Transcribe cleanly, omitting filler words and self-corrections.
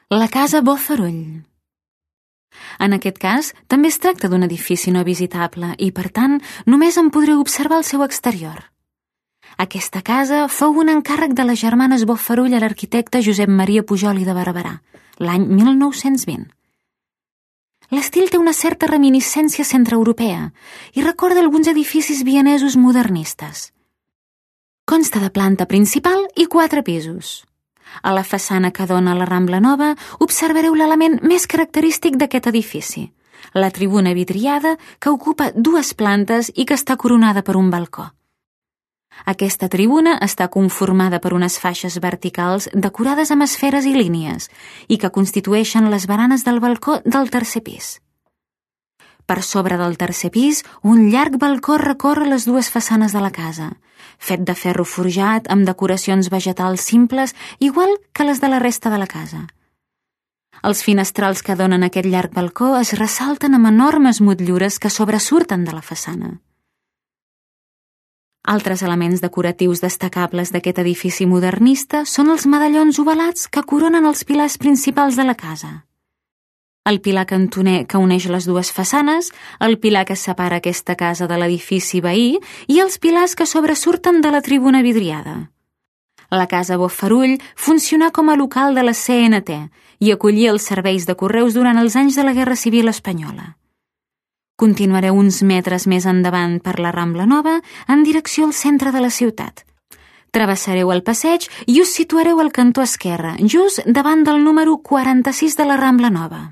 La casa Bofarull. En aquest cas, també es tracta d'un edifici no visitable i, per tant, només en podreu observar el seu exterior. Aquesta casa fou un encàrrec de les germanes Bofarull a l'arquitecte Josep Maria Pujol i de Barberà, l'any 1920. L'estil té una certa reminiscència centreeuropea i recorda alguns edificis vienesos modernistes. Consta de planta principal i 4 pisos. A la façana que dona a la Rambla Nova observareu l'element més característic d'aquest edifici, la tribuna vidriada que ocupa 2 plantes i que està coronada per un balcó. Aquesta tribuna està conformada per unes faixes verticals decorades amb esferes i línies i que constitueixen les baranes del balcó del 3è pis. Per sobre del 3è pis, un llarg balcó recorre les 2 façanes de la casa, fet de ferro forjat amb decoracions vegetals simples igual que les de la resta de la casa. Els finestrals que donen aquest llarg balcó es ressalten amb enormes motllures que sobresurten de la façana. Altres elements decoratius destacables d'aquest edifici modernista són els medallons ovalats que coronen els pilars principals de la casa. El pilar cantoner que uneix les 2 façanes, el pilar que separa aquesta casa de l'edifici veí i els pilars que sobresurten de la tribuna vidriada. La casa Bofarull funcionà com a local de la CNT i acollia els serveis de correus durant els anys de la Guerra Civil Espanyola. Continuareu uns metres més endavant per la Rambla Nova en direcció al centre de la ciutat. Travessareu el passeig i us situareu al cantó esquerre, just davant del número 46 de la Rambla Nova.